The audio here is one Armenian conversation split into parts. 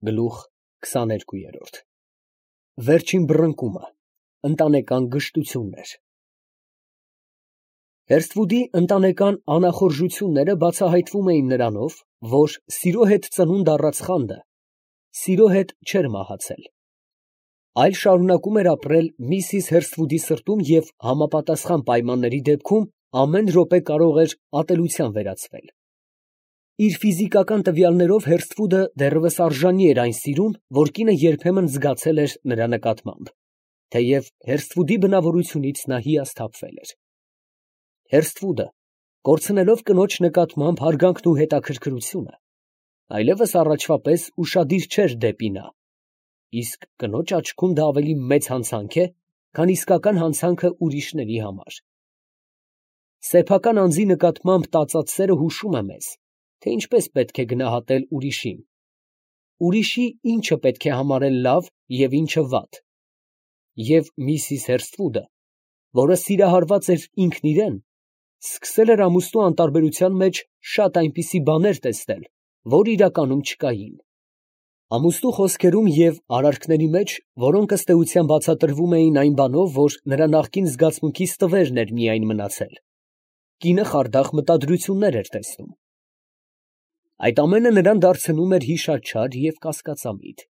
Գլուխ 22 Վերջին բռնկումը, ընտանեկան գժտություններ։ Հերսթվուդի ընտանեկան անախորժությունները բացահայտվում էին նրանով, որ սիրո հետ ծնունդ առած խանդը սիրո հետ չէր մահացել, այլ շարունակում էր ապրել միսիս Հերսթվուդի սրտում և համապատասխան պայմանների դեպքում ամեն րոպե կարող էր ատելության վերածվել։ Իր ֆիզիկական տվյալներով Հերսթվուդը դեռևս արժանի էր այն սիրուն, որ կինը երբեմն զգացել էր նրա նկատմամբ, թեև Հերսթվուդի բնավորությունից նա հիասթափվել էր։ Հերսթվուդը, կորցնելով կնոջ նկատմամբ հարգանքն ու հետաքրքրությունը, այլևս առաջվա պես ուշադիր չէր դեպի նա, իսկ կնոջ աչքում դա ավելի մեծ հանցանք է, քան իսկական հանցանքը ուրիշների համար։ Սեփական անձի նկատմամբ տածած սերը հուշում է մեզ, թե ինչպես պետք է գնահատել ուրիշին, ուրիշի ինչը պետք է համարել լավ և ինչը վատ, և միսիս Հերսթվուդը, որը սիրահարված էր ինքն իրան, սկսել էր ամուսնու անտարբերության մեջ շատ այնպիսի բաներ տեսնել, որ իրականում չկային։ Ամուսնու խոսքերում և արարքների մեջ, որոնք ըստ էության բացատրվում էին այն բանով, որ նրա նախկին զգացմունքի ստվերն էր միայն մնացել, կինը խարդախ մտադրություններ էր տեսնում։ Այդ ամենը նրան դարձնում էր հիշաչար և կասկածամիտ։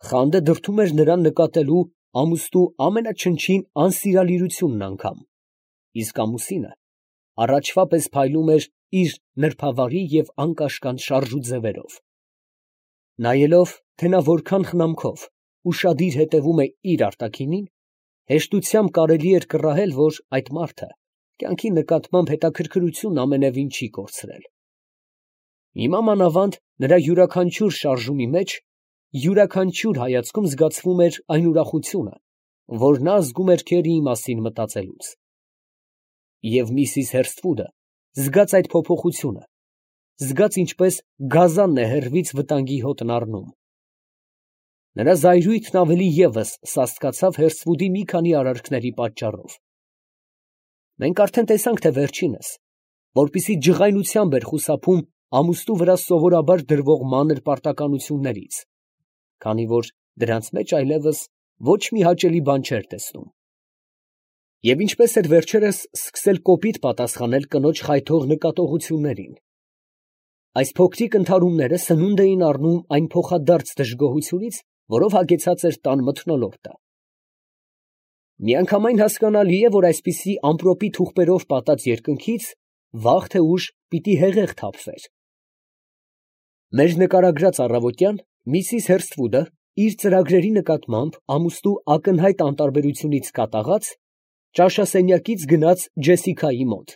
Խանդը դրդում էր նրան նկատելու ամուսնու ամենաչնչին անսիրալիրությունն անգամ, իսկ ամուսինը առաջվա պես փայլում էր իր նրբավարի և անկաշկանդ շարժուձևերով։ Նայելով, թե նա որքան խնամքով, ուշադիր հետևում է իր արտաքինին, հեշտությամբ կարելի էր կռահել, որ այդ մարդը կյանքի նկատմամբ հետաքրքրությունն ամենևին չի կորցրել։ Հիմա մանավանդ նրա յուրաքանչյուր շարժումի մեջ, յուրաքանչյուր հայացքում զգացվում էր այն ուրախությունը, որ նա զգում էր քերիի մասին մտածելուց։ Եվ միսիս Հերսթվուդը զգաց այդ փոփոխությունը, զգաց ինչպես գազանն է հեռվից վտանգի հոտն առնում։ Նրա զայրույթն ավելի ևս սաստկացավ Հերսթվուդի մի քանի արարքների պատճառով։ Մենք արդեն տեսանք, թե վերջինս, որպեսզի ջղայնությամբ էր խուսափում ամուսնու վրա սովորաբար դրվող մանր պարտականություններից, քանի որ դրանց մեջ այլևս ոչ մի հաճելի բան չէր տեսնում։ Եվ ինչպես էր վերջերս սկսել կոպիտ պատասխանել կնոջ խայթող նկատողություններին։ Այս փոքրիկ ընդհարումները սնունդ էին առնում այն փոխադարձ դժգոհությունից, որով հագեցած էր տան մթնոլորտը։ Միանգամայն հասկանալի է, որ այսպիսի ամպրոպի թուղթերով պատած երկնքից վաղ թե ուշ պիտի հեղեղ թափվեր։ Մեր նկարագրած առավոտյան միսիս Հերսթվուդը իր ծրագրերի նկատմամբ ամուսնու ակնհայտ անտարբերությունից կատաղած ճաշասենյակից գնաց Ջեսիկայի մոտ,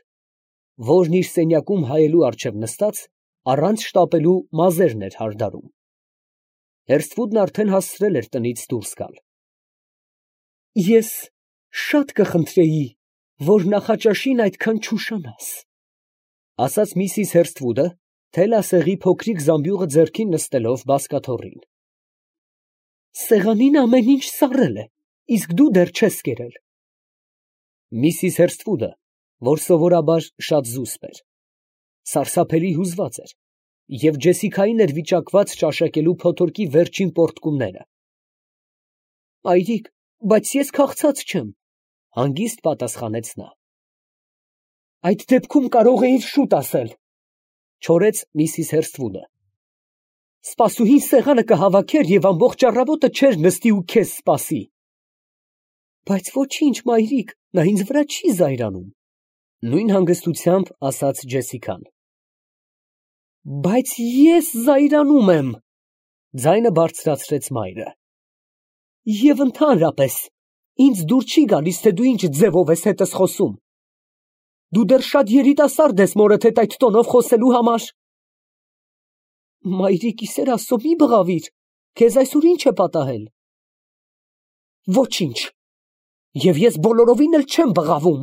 որն իր սենյակում հայելու առջև նստած առանց շտապելու մազերն էր հարդարում։ Հերսթվուդն արդեն հասցրել էր տնից դուրս գալ։ Ես շատ կխնդրեի, որ նախաճաշին այդքան չուշանաս, ասաց միսիս Հերսթվուդը, թելասեղի փոքրիկ զամբյուղը ձեռքին նստելով բազկաթոռին։ Սեղանին ամեն ինչ սառել է, իսկ դու դեռ չես կերել։ Միսիս Հերսթվուդը, որ սովորաբար շատ զուսպ էր, սարսափելի հուզված էր և Ջեսիկային էր վիճակված ճաշակելու փոթորկի վերջին պոռթկումները։ Մայրիկ, բայց ես քաղցած չեմ, հանգիստ պատասխանեց նա։ Այդ դեպքում կարող էիր շուտ ասել, չորեց միսիս Հերսթվուդը։ Սպասուհին սեղանը կհավաքեր և ամբողջ առավոտը չէր նստի ու քեզ սպասի։ Բայց ոչինչ, մայրիկ, նա ինձ վրա չի զայրանում, նույն հանգստությամբ ասաց Ջեսիկան։ Բայց ես զայրանում եմ, ձայնը բարձրացրեց մայրը։ Եվ ընդհանրապես, ինձ դուր չի գալիս, թե դու ինչ ձևով ես հետս խոսում։ Դու դեռ շատ երիտասարդ ես մորդ հետ այդ տոնով խոսելու համար։ Մայրիկ, ի սեր Աստծո, մի բղավիր, քեզ այսօր ինչ է պատահել։ Ոչինչ, և ես բոլորովին էլ չեմ բղավում։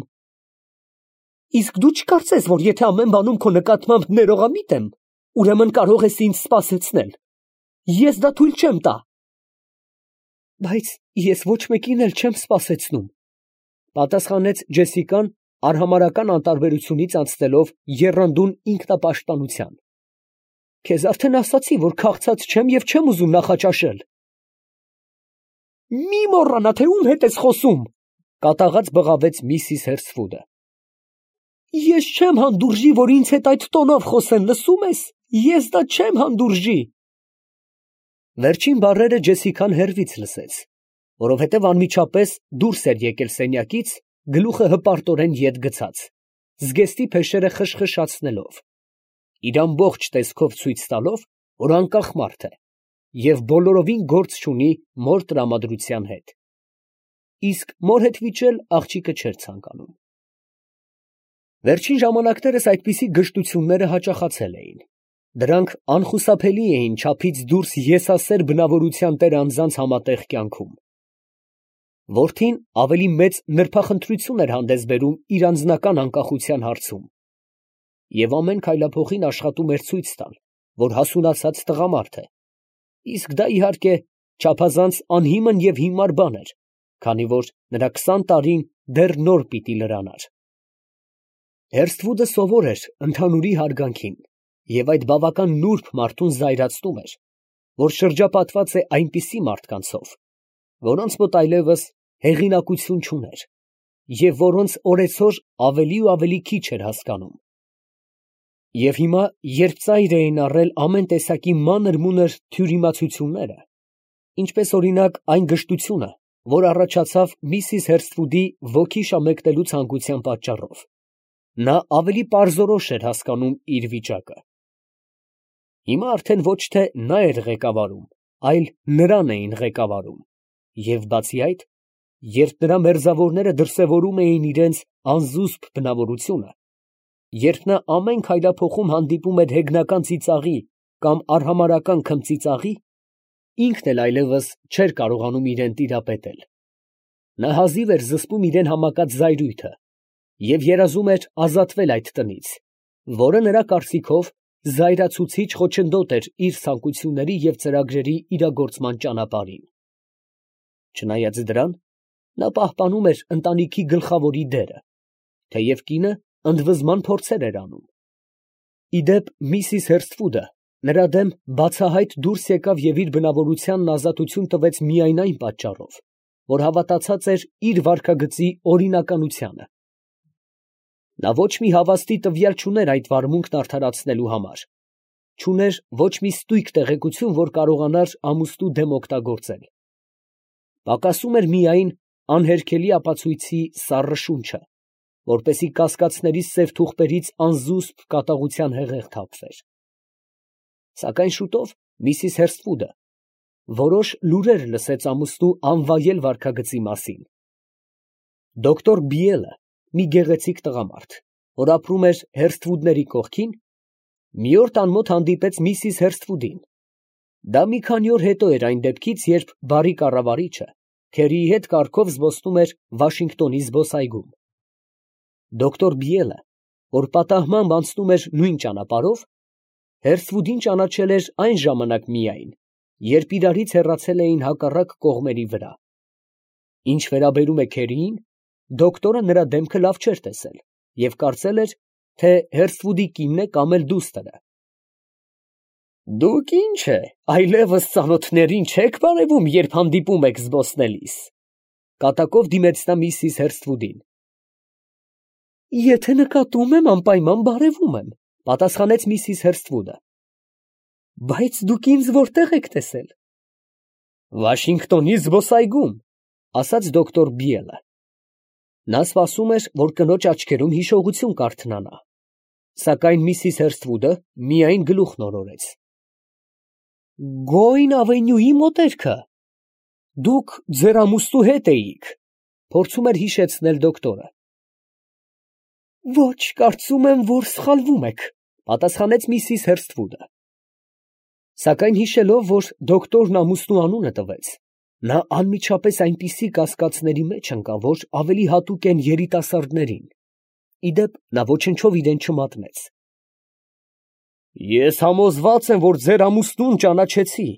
Իսկ դու չկարծես, որ եթե ամեն բանում քո նկատմամբ ներողամիտ եմ, ուրեմն կարող ես ինձ սպասեցնել։ Ես դա թույլ չեմ տա։ Բայց ես ոչ մեկին էլ չեմ սպասեցնում, պատասխանեց Ջեսիկան, արհամարհական անտարբերությունից անցնելով եռանդուն ինքնապաշտպանության։ Քեզ արդեն ասացի, որ քաղցած չեմ և չեմ ուզում նախաճաշել։ Մի մոռանա, թե ում հետ ես խոսում, կատաղած բղավեց Միսիս Հերսֆուդը։ Ես չեմ հանդուրժի, որ ինձ հետ այդ տոնով խոսեն, լսում ես, ես դա չեմ հանդուրժի։ Վերջին բառերը Ջեսիկան հեռվից լսեց, որովհետև անմիջապես դուրս էր եկել սենյակից, գլուխը հպարտորեն ետ գցած, զգեստի փեշերը խշխշացնելով, իր ամբողջ տեսքով ցույց տալով, որ անկախ մարդ է և բոլորովին գործ չունի մոր տրամադրության հետ։ Իսկ մոր հետ վիճել աղջիկը չէր ցանկանում։ Վերջին ժամանակներս այդպիսի գժտությունները հաճախացել էին։ Դրանք անխուսափելի էին չափից դուրս եսասեր բնավորության տեր անձանց համատեղ կյանքում։ Որդին ավելի մեծ նրբախնդրություն էր հանդես բերում իր անձնական անկախության հարցում, և ամեն քայլափոխին աշխատում էր ցույց տալ, որ հասունացած տղամարդ է, իսկ դա իհարկե չափազանց անհիմն և հիմար բան էր, քանի որ նրա 20 տարին դեռ նոր պիտի լրանար։ Հերսթվուդը սովոր էր ընդհանուրի հարգանքին, և այդ բավական նուրբ մարդուն զայրացնում էր, որ շրջապատված է այնպիսի մարդկանցով, որոնց մոտ այլևս հեղինակություն չուներ, և որոնց օրեցօր ավելի ու ավելի քիչ էր հասկանում։ Եվ հիմա, երբ ծայր էին առել ամեն տեսակի մանր-մունր թյուրիմացությունները, ինչպես օրինակ այն գժտությունը, որ առաջացավ Միսիս Հերսթվուդի ոգի շամեկնելու ցանկության պատճառով, նա ավելի պարզորոշ էր հասկանում իր վիճակը։ Հիմա արդեն ոչ թե նա էր ղեկավարում, այլ նրան էին ղեկավարում, և բացի այդ, երբ նրա մերձավորները դրսևորում էին իրենց անզուսպ բնավորությունը, երբ նա ամեն քայլափոխում հանդիպում էր հեգնական ծիծաղի կամ արհամարհական քմծիծաղի, ինքն էլ այլևս չէր կարողանում իրեն տիրապետել։ Նա հազիվ էր զսպում իրեն համակած զայրույթը և երազում էր ազատվել այդ տնից, որը նրա կարծիքով զայրացուցիչ խոչընդոտ էր իր ցանկությունների և ծրագրերի իրագործման ճանապարհին։ Չնայած դրան, նա պահպանում էր ընտանիքի գլխավորի դերը, թեև կինը ընդվզման փորձեր էր անում։ Ի դեպ, Միսիս Հերսթվուդը նրա դեմ բացահայտ դուրս եկավ և իր բնավորությանն ազատություն տվեց միայն այն պատճառով, որ հավատացած էր իր վարքագծի օրինականությանը։ Նա ոչ մի հավաստի տվյալ չուներ այդ վարմունքն արդարացնելու համար, չուներ ոչ մի ստույգ տեղեկություն, որ կարողանար ամուսնու դեմ օգտագործել։ Պակասում էր միայն անհերքելի ապացույցի սառը շունչը, որպեսզի կասկածների սև թուղթերից անզուսպ կատաղության հեղեղ թափվեր։ Սակայն շուտով Միսիս Հերսթվուդը որոշ լուրեր լսեց ամուսնու անվայել վարքագծի մասին։ Դոկտոր Բիելը, մի գեղեցիկ տղամարդ, որ ապրում էր Հերսթվուդների կողքին, մի օր տան մոտ հանդիպեց Միսիս Հերսթվուդին։ Դա մի քանի օր հետո էր այն դեպքից, երբ բարի կառավարիչը քերիի հետ կառքով զբոսնում էր Վաշինգտոնի զբոսայգում։ Դոկտոր Բիելը, որ պատահմամբ անցնում էր նույն ճանապարհով, Հերսթվուդին ճանաչել էր այն ժամանակ միայն, երբ իրարից հեռացել էին հակառակ կողմերի վրա։ Ինչ վերաբերում է քերիին, դոկտորը նրա դեմքը լավ չէր տեսել և կարծել էր, թե Հերսթվուդի կինն է կամ էլ դուստրը։ «Դուք ի՞նչ է, այլևս ծանոթներին չեք բարևում, երբ հանդիպում եք զբոսնելիս», կատակով դիմեց նա Միսիս Հերսթվուդին։ «Եթե նկատում եմ, անպայման բարևում եմ», պատասխանեց Միսիս Հերսթվուդը։ «Բայց դուք ինձ որտե՞ղ եք տեսել»։ «Վաշինգտոնի զբոսայգում», ասաց դոկտոր Բիելը։ Նա սպասում էր, որ կնոջ աչքերում հիշողություն կարդնանա, սակայն Միսիս Հերսթվուդը միայն գլուխն օրորեց։ «Գոյն ավենյուի մոտերքը։ Դուք ձեր ամուսնու հետ էիք», փորձում էր հիշեցնել դոկտորը։ «Ոչ, կարծում եմ, որ սխալվում եք», պատասխանեց Միսիս Հերսթվուդը։ Սակայն հիշելով, որ դոկտորն ամուսնու անունը տվեց, նա անմիջապես այնպիսի կասկածների մեջ ընկավ, որ ավելի հատուկ են երիտասարդներին։ Ի դեպ, նա ոչնչով իրեն չմատնեց։ «Ես համոզված եմ, որ ձեր ամուսնուն ճանաչեցի,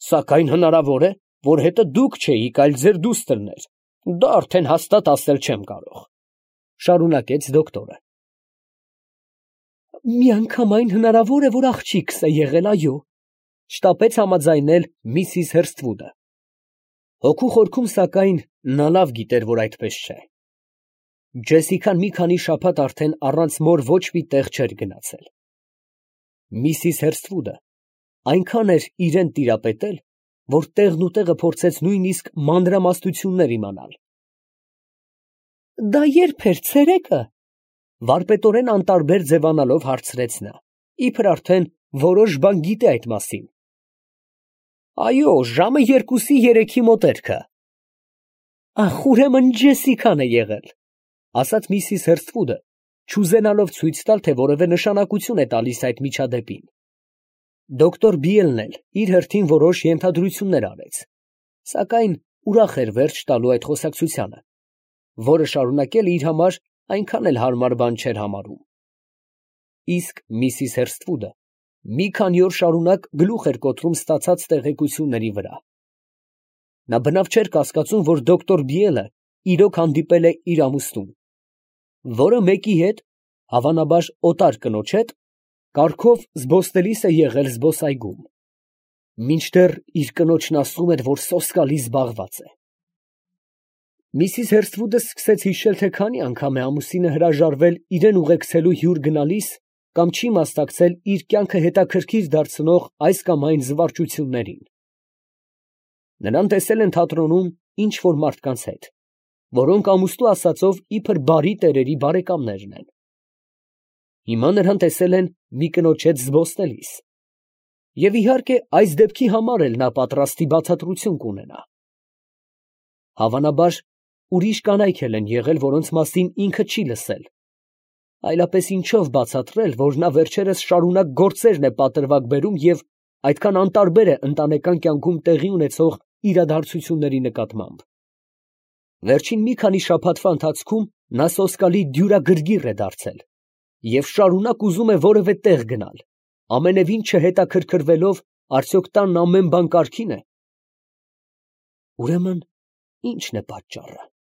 սակայն հնարավոր է, որ հետը դուք չէիք, այլ ձեր դուստրն էր, դա արդեն հաստատ ասել չեմ կարող», շարունակեց դոկտորը։ Միանգամայն հնարավոր է, որ աղջիկս է եղել, այո, շտապեց համաձայնել միսիս Հերսթվուդը։ Հոգու խորքում, սակայն, նա լավ գիտեր, որ այդպես չէ։ Ջեսիկան մի քանի շաբաթ արդեն առանց մոր ոչ մի տեղ չէր գնացել։ Միսիս Հերսթվուդը այնքան էր իրեն տիրապետել, որ տեղն ու տեղը փորձեց նույնիսկ մանրամասնություններ իմանալ։ Դա ե՞րբ էր, ցերեկը, վարպետորեն անտարբեր ձևանալով հարցրեց նա, իբր արդեն որոշ բան գիտե այդ մասին։ Այո, ժամը 2-3-ի մոտերքը։ Ախ, ուրեմն Ջեսիկան է եղել, ասաց միսիս Հերսթվուդը, չուզենալով ցույց տալ, թե որևէ նշանակություն է տալիս այդ միջադեպին։ Դոկտոր Բիելն էլ իր հերթին որոշ ենթադրություններ արեց, սակայն ուրախ էր վերջ տալու այդ խոսակցությանը, որը շարունակելը իր համար այնքան էլ հարմար բան չէր համարում։ Իսկ միսիս Հերսթվուդը մի քանի օր շարունակ գլուխ էր կոտրում ստացած տեղեկությունների վրա։ Նա բնավ չէր կասկածում, որ դոկտոր Բիելը իրոք հանդիպել է իր ամուսնուն, որը մեկի հետ, հավանաբար օտար կնոջ հետ, կառքով զբոսնելիս է եղել զբոսայգում, մինչդեռ իր կնոջն ասում էր, որ սոսկալի զբաղված է։ Միսիս Հերսթվուդը սկսեց հիշել, թե քանի անգամ է ամուսինը հրաժարվել իրեն ուղեկցելու հյուր գնալիս կամ չի մասնակցել իր կյանքը հետաքրքիր դարձնող այս կամ այն զվարճություններին։ Նրան տեսել են թատրոնում ինչ֊որ մարդկանց հետ, որոնք ամուսնու ասածով իբր բարի տերերի բարեկամներն են։ Հիմա նրան տեսել են մի կնոջ հետ զբոսնելիս, և իհարկե այս դեպքի համար էլ նա պատրաստի բացատրություն կունենա։ Հավանաբար ուրիշ կանայք էլ են եղել, որոնց մասին ինքը չի լսել, այլապես ինչով բացատրել, որ նա վերջերս շարունակ գործերն է պատրվակ բերում և այդքան անտարբեր է ընտանեկան կյանքում տեղի ունեցող իրադարձությունների նկատմամբ։ Վերջին մի քանի շաբաթվա ընթացքում նա սոսկալի դյուրագրգիռ է դարձել և շարունակ ուզում է որևէ տեղ գնալ, ամենևին չհետաքրքրվելով, արդյոք տանն ամեն բան կարգի՞ն է։ Ուրեմն ի՞նչն է պատճառը։